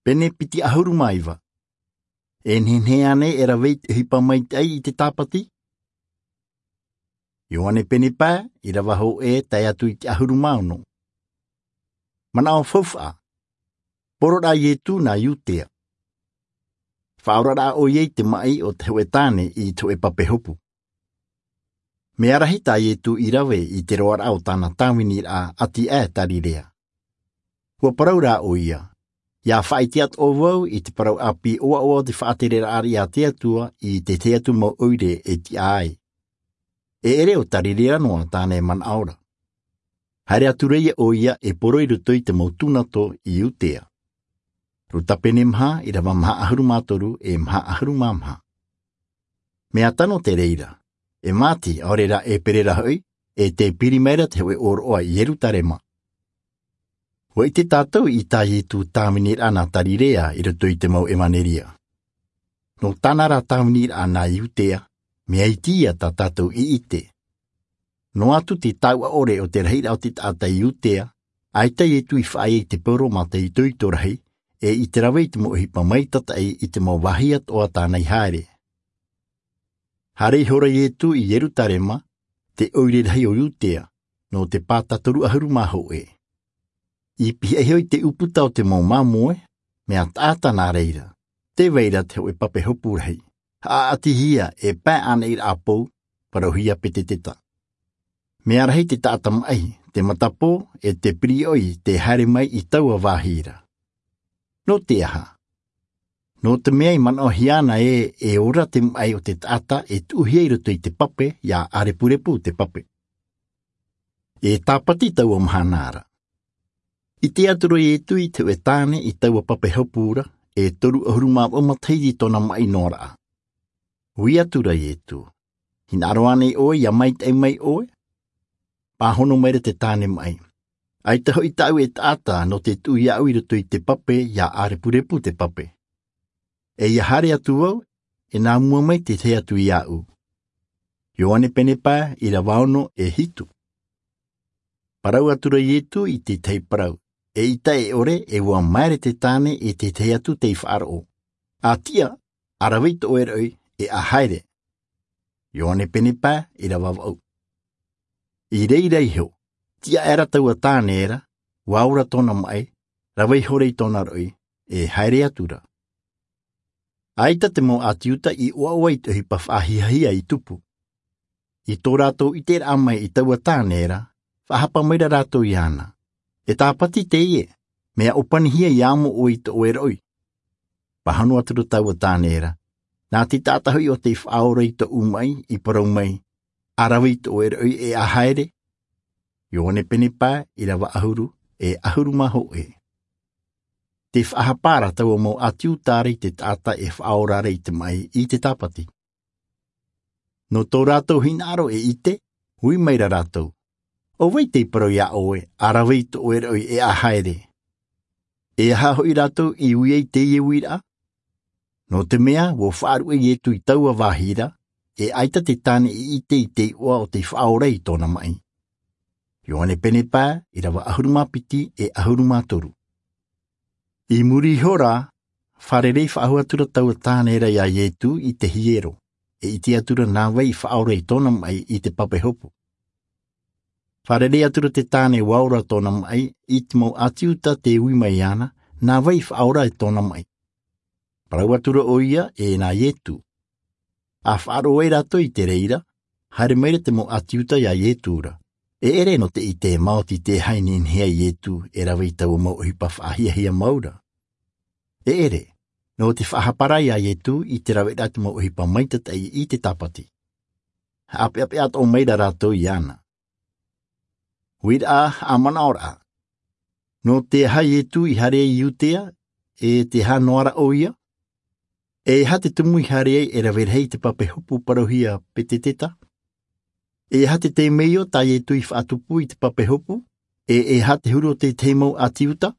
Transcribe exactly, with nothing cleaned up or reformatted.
Pene piti ʻahuru mā iva. E nehenehe ānei e rave i te ʻohipa maitaʻi i te tāpati? Ioane pene pae, ʻīrava hōʻē tae atu i te ʻahuru mā ono. Manaʻo faufaʻa. Poroʻraʻa a Ietu nā Iutea. Faʻaoraraʻa ʻoia i te maʻi o te hōʻē tāne i te hōʻē pape hopu. Mea rahi tā Ietu i rave i te roaraʻa o tāna tāviniraʻa ʻati aʻe Tarirea. ʻUa parau rā ʻoia, ʻIa faʻaʻite atoʻa vau i te parau ʻāpī ʻoaʻoa o te faʻatereraʻa a te Atua i te tahi atu mau ʻoire e tiʻa ai. E ʻere ʻo Tarirea noa tāna e manaʻo ra. Haere atu ra ʻoia e poro i roto i te mau tūnato i Iutea. Ruta pene maha, ʻīrava maha ʻahuru mā toru e maha ʻahuru mā maha. Mea tano te reira, e Māti, ʻaore rā e Pere ra hoʻi, e tē piri mai ra te hōʻē ʻōroʻa i Ierutarema. ʻUa ʻite tātou i tā Ietu tāviniraʻa nā Tarirea i roto i te mau ʻevaneria. Nō tāna rā tāviniraʻa nā Iutea, mea iti ia tā tātou i ʻite. Noa atu te taʻuʻa ʻore o te rahiraʻa o te taʻata i Iutea, ʻaita Ietu i faʻaea i te poro mā te itoito rahi, e i te rave i te mau ʻohipa maitataʻi i te mau vāhi atoʻa tāna i haere. Haere ihora Ietu i Ierutarema, te ʻoire rahi o Iutea, nō te pāta toru ʻahuru mā hōʻē. I pihaʻi iho i te ʻūputa o te mau māmoe, mea taʻata nā reira, tē vai ra te hōʻē pape hopu rahi, haʻaʻatihia e pae ʻānaʻiraʻa pou, parauhia Peteteta. Mea rahi te taʻata maʻi, te matapō, e te piriʻoi tē haere mai i taua vāhi ra. Nō te aha? Nō te mea i manaʻohia ana ē, e ora te maʻi o te taʻata e tuʻuhia i roto i te pape, ʻia ʻārepurepu te pape. E tāpati taua mahana ra. ʻIte atu ra Ietu i te hōʻē tāne i taua pape hopu ra, e toru ʻahuru mā vaʻu matahiti tōna maʻi noa ra. Ui atu ra Ietu, Hinaʻaro ānei ʻoe ʻia maitaʻi mai ʻoe? Pāhono mai ra te tāne maʻi, ʻAita hoʻi tāʻu e taʻata nō te tuʻu iāʻu i roto i te pape ʻia ʻārepurepu te pape. E ʻia haere atu vau, e nā mua mai te tahi atu iāʻu. Ioane pene pae, ʻīrava ono e hitu. Parau atu ra Ietu i te tahi parau, eʻita e ʻore, e ʻua maere te tāne i te tahi atu tei faʻaroʻo, ʻA tiʻa, ʻa rave i tō ʻoe roʻi, e ʻa haere. Ioane pene pae, ʻīrava vaʻu. I reira iho, tiʻa aʻera taua tāne ra, ʻua ora tōna maʻi, rave ihora i tōna roʻi, e haere atu ra. ʻAita te mau ʻĀti Iuta i ʻoaʻoa i te ʻohipa faʻahiahia i tupu. I tō rātou ʻiteraʻa mai i taua tāne ra, faʻahapa mai ra rātou iāna, E tāpati teie, mea ʻōpanihia ʻia amo ʻoe i tō ʻoe roʻi. Pāhono atu ra taua tāne ra, Nā te taʻata hoʻi ʻo tei faʻaora i tōʻu maʻi i parau mai, ʻA rave i tō ʻoe roʻi e ʻa haere. Ioane pene pae, ʻīrava ʻahuru, e ʻahuru mā hōʻē. Tē faʻahapa ra taua mau ʻĀti Iuta ra i te taʻata e faʻaora ra i te maʻi i te tāpati. Nō tō rātou hinaʻaro e ʻite, ui mai ra rātou, ʻO vai tei parau iā ʻoe, ʻA rave i tō ʻoe roʻi e ʻa haere? E aha hoʻi rātou i ui ai i teie uiraʻa? Nō te mea, ʻua faʻaruʻe Ietu i taua vāhi ra, e ʻaita te tāne i ʻite i te iʻoa ʻo tei faʻaora i tōna maʻi. Ioane pene pae, ʻīrava ʻahuru mā piti e ʻahuru mā toru. I muri iho ra, fārerei faʻahou atu ra taua tāne ra iā Ietu i te hiero, e ʻite atu ra nā vai i faʻaora i tōna maʻi i te pape hopu. Fārerei atu ra te tāne ʻua ora tōna maʻi i te mau ʻĀti Iuta tē ui mai iāna, Nā vai i faʻaora i tōna maʻi? Parau atu ra ʻoia, E nā Ietu. ʻA faʻaroʻo ai rātou i te reira, haere mai ra te mau ʻĀti Iuta iā Ietu ra. E ʻere nō te ʻite e maoti te aha i nehenehe ai Ietu e rave i taua mau ʻohipa faʻahiahia mau ra. E ʻere, nō te faʻahapa ra iā Ietu i te raveraʻa te mau ʻohipa maitataʻi i te tāpati. Haʻapeʻapeʻa atoʻa mai ra rātou iāna. Uiraʻa haʻamanaʻoraʻa. Nō te aha Ietu i haere ai i Iutea, e te aha noa ra ʻoia? E aha te tumu i haere ai e rave rahi i te pape hopu parauhia Peteteta? E aha te temeio tā Ietu i faʻatupu i te pape hopu? E e aha te huru o te tahi mau ʻĀti Iuta?